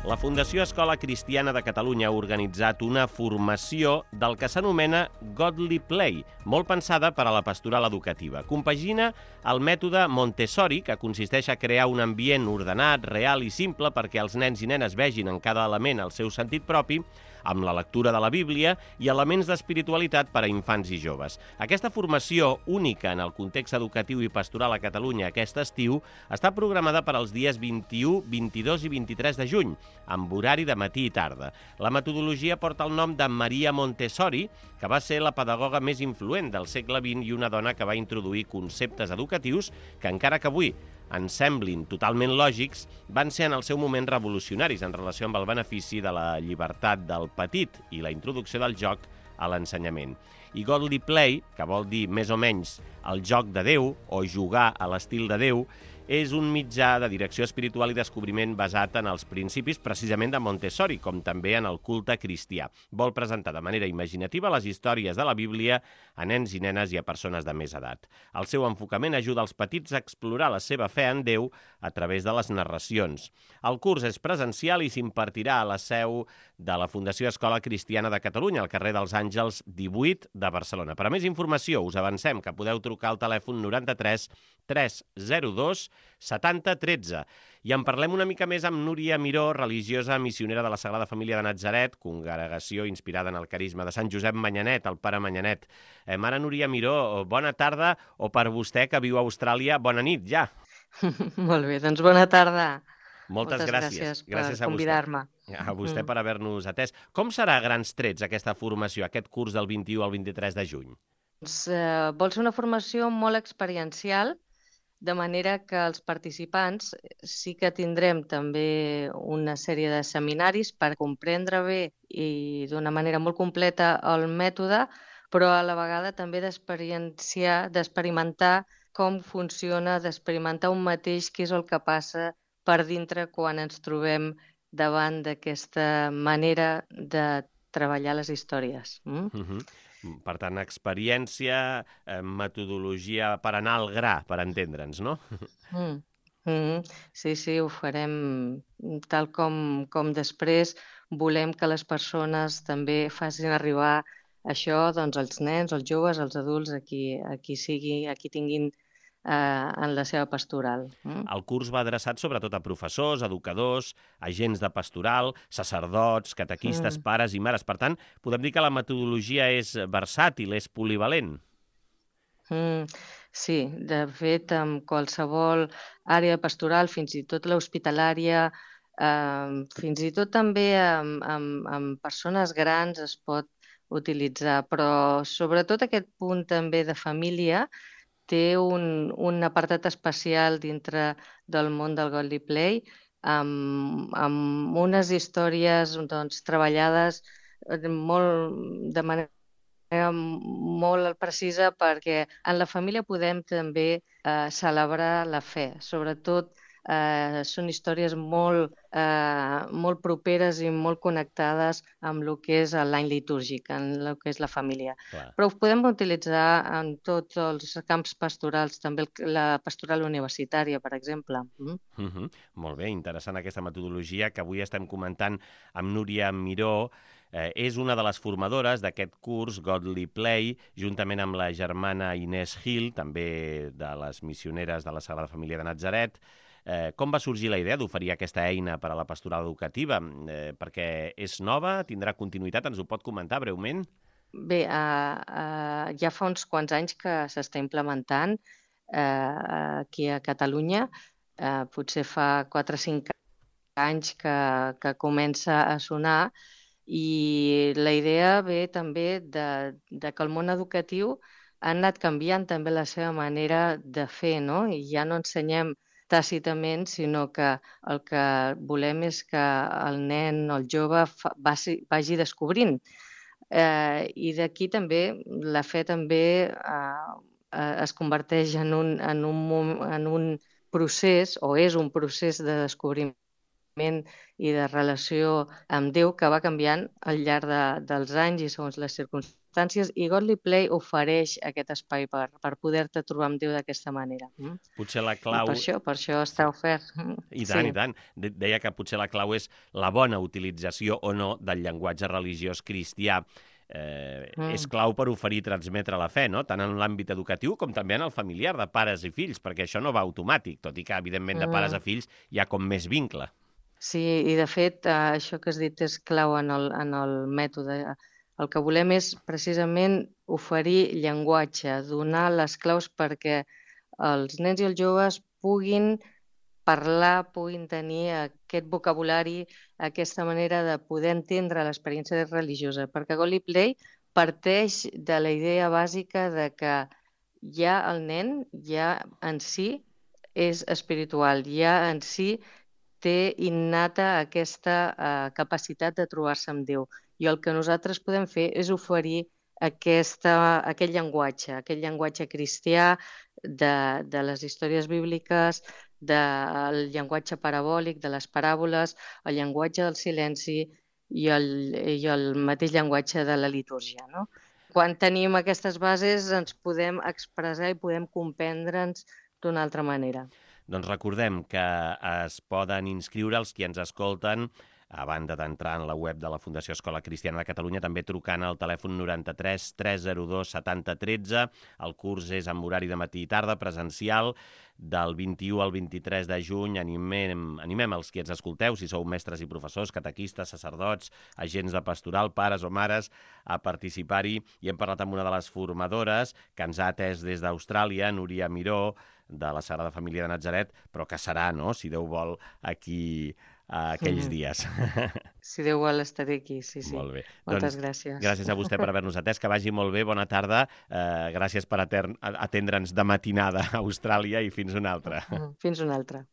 La Fundació Escola Cristiana de Catalunya ha organitzat una formació del que s'anomena Godly Play, molt pensada per a la pastoral educativa. Compagina el mètode Montessori, que consisteix a crear un ambient ordenat, real i simple perquè els nens i nenes vegin en cada element el seu sentit propi, amb la lectura de la Bíblia i elements d'espiritualitat per a infants i joves. Aquesta formació, única en el context educatiu i pastoral a Catalunya aquest estiu, està programada per als dies 21, 22 i 23 de juny, amb horari de matí i tarda. La metodologia porta el nom de Maria Montessori, que va ser la pedagoga més influent del segle XX i una dona que va introduir conceptes educatius que, encara que avui ens semblin totalment lògics, van ser en el seu moment revolucionaris en relació amb el benefici de la llibertat del petit i la introducció del joc a l'ensenyament. I Godly Play, que vol dir més o menys el joc de Déu o jugar a l'estil de Déu, és un mitjà de direcció espiritual i descobriment basat en els principis precisament de Montessori, com també en el culte cristià. Vol presentar de manera imaginativa les històries de la Bíblia a nens i nenes i a persones de més edat. El seu enfocament ajuda els petits a explorar la seva fe en Déu a través de les narracions. El curs és presencial i s'impartirà a la seu de la Fundació Escola Cristiana de Catalunya, al carrer dels Àngels 18 de Barcelona. Per a més informació, us avancem que podeu trucar al telèfon 93 302 70 13. I en parlem una mica més amb Núria Miró, religiosa missionera de la Sagrada Família de Natzaret, congregació inspirada en el carisma de Sant Josep Manyanet, el pare Manyanet. Mare Núria Miró, bona tarda, o per vostè que viu a Austràlia, bona nit ja. Molt bé, doncs bona tarda. Moltes gràcies per convidar-me. A vostè per haver-nos atès. Com serà a grans trets aquesta formació, aquest curs del 21 al 23 de juny? Vol ser una formació molt experiencial, de manera que els participants sí que tindrem també una sèrie de seminaris per comprendre bé i d'una manera molt completa el mètode, però a la vegada també d'experimentar com funciona, d'experimentar un mateix què és el que passa per dintre quan ens trobem davant d'aquesta manera de treballar les històries. Per tant, experiència, metodologia per anar al gra, per entendre'ns, no? Sí, ho farem tal com després volem que les persones també facin arribar això doncs, als nens, als joves, als adults, a qui tinguin en la seva pastoral. El curs va adreçat sobretot a professors, educadors, agents de pastoral, sacerdots, catequistes, pares i mares. Per tant, podem dir que la metodologia és versàtil, és polivalent. Sí, de fet, amb qualsevol àrea pastoral, fins i tot l'hospitalària, fins i tot també amb persones grans es pot utilitzar, però sobretot aquest punt també de família té un apartat especial dintre del món del Godly Play amb unes històries doncs, treballades de manera molt precisa perquè en la família podem també celebrar la fe. Sobretot són històries molt properes i molt connectades amb el que és l'any litúrgic, en el que és la família. Clar. Però ho podem utilitzar en tots els camps pastorals, també la pastoral universitària, per exemple. Molt bé, interessant aquesta metodologia que avui estem comentant amb Núria Miró. És una de les formadores d'aquest curs Godly Play, juntament amb la germana Inés Gil, també de les missioneres de la Sagrada Família de Natzaret. Com va sorgir la idea d'oferir aquesta eina per a la pastoral educativa? Perquè és nova, tindrà continuïtat, ens ho pot comentar breument? Bé, ja fa uns quants anys que s'està implementant aquí a Catalunya. Potser fa 4 o 5 anys que comença a sonar i la idea ve també de que el món educatiu ha anat canviant també la seva manera de fer, no? I ja no ensenyem tàcitament, sinó que el que volem és que el nen o el jove vagi descobrint. I d'aquí també la fe també es converteix en un procés, o és un procés de descobriment i de relació amb Déu que va canviant al llarg dels anys i segons les circumstàncies circumstàncies, i Godly Play ofereix aquest espai per poder-te trobar amb Déu d'aquesta manera. Potser la I clau... per això està ofert. I tant, i tant. Deia que potser la clau és la bona utilització o no del llenguatge religiós cristià. És clau per oferir i transmetre la fe, no? Tant en l'àmbit educatiu com també en el familiar, de pares i fills, perquè això no va automàtic, tot i que, evidentment, de pares a fills hi ha com més vincle. Sí, i de fet, això que has dit és clau en el mètode. El que volem és precisament oferir llenguatge, donar les claus perquè els nens i els joves puguin parlar, puguin tenir aquest vocabulari, aquesta manera de poder entendre l'experiència religiosa, perquè Godly Play parteix de la idea bàsica de que ja el nen ja en si és espiritual, ja en si té innata aquesta capacitat de trobar-se amb Déu. I el que nosaltres podem fer és oferir aquest llenguatge cristià de les històries bíbliques, del llenguatge parabòlic, de les paràboles, el llenguatge del silenci i el mateix llenguatge de la litúrgia, no? Quan tenim aquestes bases ens podem expressar i podem comprendre'ns d'una altra manera. Doncs recordem que es poden inscriure els qui ens escolten, a banda d'entrar en la web de la Fundació Escola Cristiana de Catalunya, també trucant al telèfon 93 302 70 13. El curs és amb horari de matí i tarda, presencial, del 21 al 23 de juny. Animem els qui ens escolteu, si sou mestres i professors, catequistes, sacerdots, agents de pastoral, pares o mares, a participar-hi. I hem parlat amb una de les formadores que ens ha atès des d'Austràlia, Núria Miró, de la Sagrada Família de Natzaret, però que serà, no?, si Déu vol, aquí aquells dies. Si Déu vol, estaré aquí, sí. Molt bé. Moltes gràcies. Gràcies a vostè per haver-nos atès, que vagi molt bé, bona tarda. Gràcies per atendre'ns de matinada a Austràlia i fins una altra. Fins una altra.